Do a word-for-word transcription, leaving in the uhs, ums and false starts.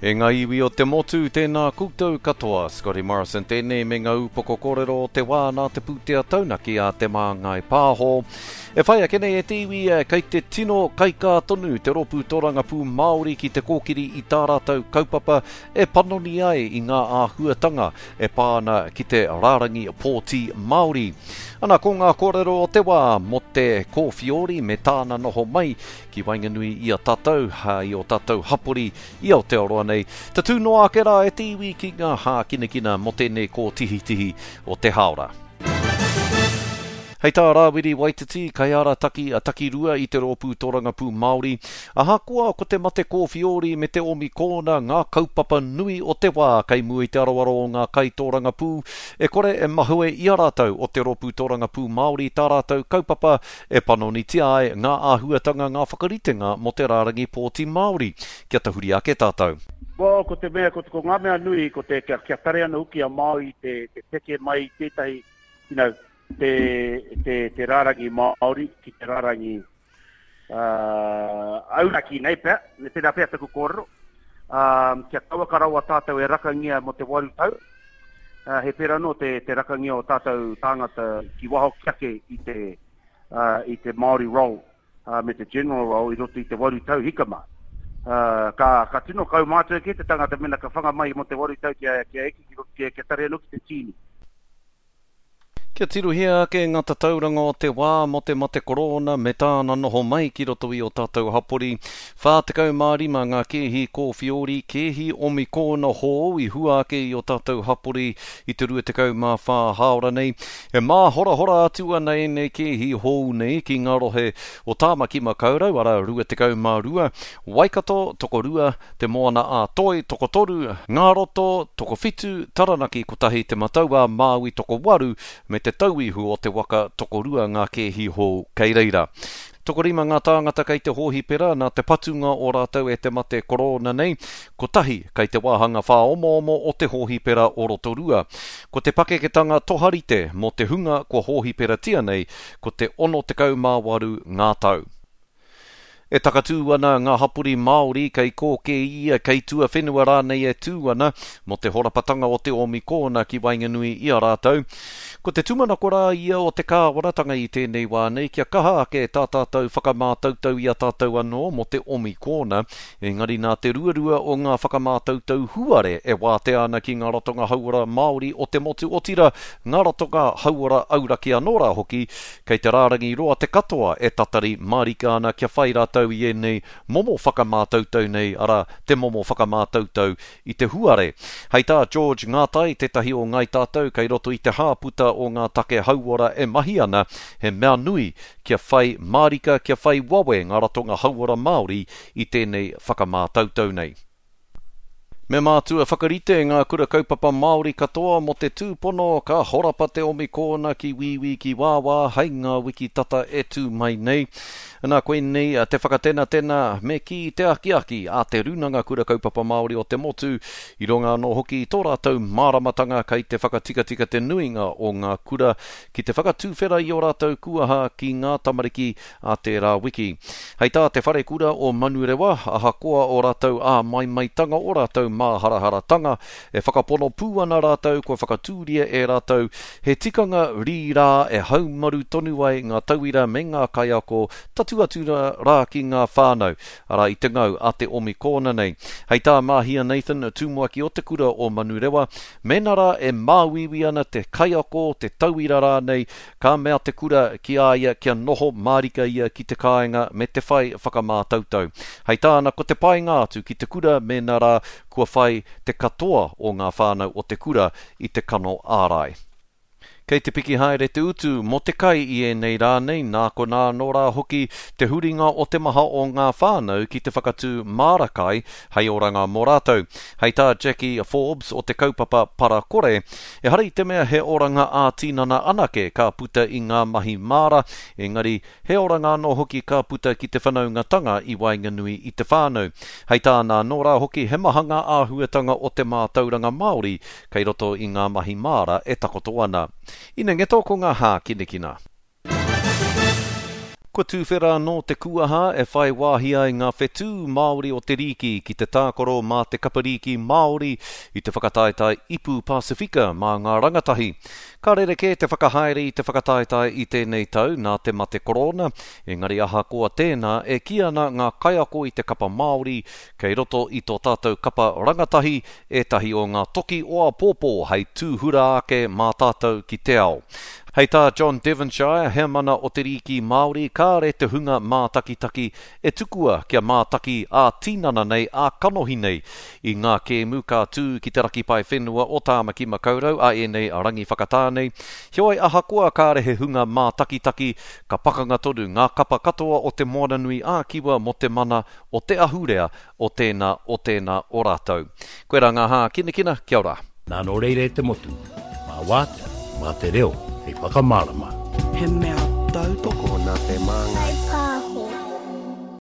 E ngā iwi o te motu, tēnā koutou katoa. Scotty Morrison tēnei me ngā upoko kōrero o te wā nā te pūtea taunaki a Te Māngai Pāho. E whai ake nei e te iwi, kei te tino kaikā tonu te rōpū tōrangapū Māori ki te kōkiri i tā rātou kaupapa e panoni ai i ngā āhuatanga e pā ana ki te rārangi pōti Māori. Ana ko ngā kōrero o te wā mō te kōwhiori me tāna noho mai ki waenganui i a tātou, i o tātou hapori i Aotearoa nei. Tatū noa ake rā e te iwi ki ngā hākinakina mō tēnei kōtihitihi o te hāora. Hei tā Rāwiri Waititi, kaiārataki a Takirua i te rōpū tōrangapū Māori, ahakoa ko te mate kōwhiori me te omikōna ngā kaupapa nui o te wā kei mua i te aroaro o ngā kaitōrangapū, e kore e mahue i a rātou o te rōpū tōrangapū Māori tā rātou kaupapa e panonitia ai ngā āhuatanga ngā whakaritenga mō te rārangi pōti Māori. Kia tahuri ake tātou. Well, ko te mea, ko, ko ngā mea nui, ko te, kia, kia tare ana hoki a Māori te, te peke mai tētahi, you know, te, te, te rārangi Māori ki te rārangi uh, auraki nei pea, me pēnā pea taku kōrero, um, kia kauaka rawa tātou e rakangia mō te waru tau, uh, he pērā anō te, te rakangia o tātou tāngata ki waho ki ake i te, uh, i te Māori roll uh, me te general roll i roto i te waru tau hikama. Uh, ka, ka tino kaumātua ke te tangata mena ka whanga mai mō te waru tau kia, kia eke ki, kia, kia tare anō ki te tīni. Kia tirohia ake ngā tatauranga o te wā mō te mate korona me tāna noho mai ki roto i o tātou hapori. whā tekau mā rima ngā kēhi kōwhiori, kēhi omikōna hou i hua ake i o tātou hapori i te rua tekau mā whā hāora nei. E māhorahora atu ana ēnei kēhi hou nei ki ngā rohe o Tāmaki Makaurau, arā rua tekau mā rua, Waikato, tokorua, Te Moana a Toi, tokotoru, Ngā Roto, tokowhitu, Taranaki kotahi, Te Matau a Māui tokowaru, me te tauihu o te waka tokorua ngā kēhi hou kei reira. Tokorima ngā tāngata kei te hōhipera nā te patunga o rātou e te mate korona nei, kotahi kei te wāhanga whāomoomo o te hōhipera o Rotorua. Ko te pakeketanga toharite mō te hunga kua hōhiperatia nei, ko te ono tekau mā waru ngā tau. E takatū ana ngā hapori Māori kei kōkē ia, kei tuawhenua rānei e tū ana mō te horapatanga o te omikōna ki waenganui i a rātou. Ko te tūmanako rā ia o te kāwanatanga i tēnei wā nei kia kaha ake tā tātou whakamātautau i a tātou anō mō te omikōna, engari nā te ruarua o ngā whakamātautau huare e wātea ana ki ngā ratonga hauora Māori o te motu otira, ngā ratonga hauora auraki anō rā hoki, kei te rārangi roa te katoa e tatari mārika ana kia whai rātou i ēnei momo whakamātautau nei, arā, te momo whakamātautau i te huare. Hei tā George Ngātai, tētahi o Ngāi Tātou kei roto i te hāputa o ngā take hauora e mahi ana, he mea nui kia whai mārika, kia whai wawe ngā ratonga hauora Māori i tēnei whakamātautau nei. Me mātua whakarite ngā kura kaupapa Māori katoa mō te tūpono ka horapa te omikōna ki wīwī ki wāwā hei ngā wiki tata e tū mai nei. Nā koinei te whakatenatena me ki te akiaki a te Rūnanga Kura Kaupapa Māori o te motu, i runga anō hoki tō rātou māramatanga kei te whakatikatika te nuinga o ngā kura ki te whakatūwhera i o rātou kuaha ki ngā tamariki a tērā wiki. Hei tā te wharekura o Manurewa, ahakoa o rātou āmaimaitanga o rātou māharaharatanga, e whakapono pū ana rātou kua whakatūria e rātou he tikanga rīrā e haumaru tonu ai ngā tauira me ngā kaiako tatu atu rā ki ngā whānau, arā i te ngau a te omikōna nei. Hei tā Mahia Nathan, tumuaki o te kura o Manurewa, mēnā rā e māuiui ana te kaiako, te tauira rānei, ka mea te kura ki a ia kia noho mārika ia ki te kāinga me te whai whakamātautau. Hei tāna ko te painga atu ki te kura mēnā rā kua whai te katoa o ngā whānau o te kura i te kano ārai. Kei te piki haere te utu mō te kai i ēnei rā nei, nā konā anō rā hoki te huringa o te maha o ngā whānau ki te whakatū māra kai hei oranga mō rātou. Hei tā Jackie Forbes o te kaupapa Parakore, ehara i te mea he oranga ā-tinana anake ka puta i ngā mahi māra, engari he oranga anō hoki ka puta ki te whanaungatanga i waenganui i te whānau. Hei tāna anō rā hoki he maha ngā āhuatanga o te mātauranga Māori kei roto i ngā mahi māra e takoto ana. Ina ngeto ko ngā hākinakina. Kua tūwhera anō te kuaha e whai wāhi ai ngā whetū Māori o te rīki ki te tākaro mā te kapa rīki Māori i te whakataetae Ipu Pasifika mā ngā rangatahi. Ka rerekē te whakahaere i te whakataetae i tēnei tau nā te mate korona, engari ahakoa tēnā e kī ana ngā kaiako i te kapa Māori kei roto i tō tātou kapa rangatahi ētahi o ngā toki o āpōpō hei tūhura ake mā tātou ki te ao. Hei tā John Devonshire, heamana o te rīki Māori, kāre te hunga mātakitaki e tukua kia mātaki ā-tinana nei, ā-kanohi nei i ngā kēmu ka tū ki te raki pae whenua o Tāmaki Makaurau a ēnei rangi whakatā nei. Heoi ahakoa kāre he hunga mātakitaki, ka pakanga tonu ngā kapa katoa o te Moananui ā-Kiwa mō te mana o te ahurea o tēnā o tēnā o rātou. Koirā ngā hākinakina, kia ora. Nā nō reira e te motu, mā wātea, mā te reo, hei whakamārama. He mea tautoko Nā te māngai. Whai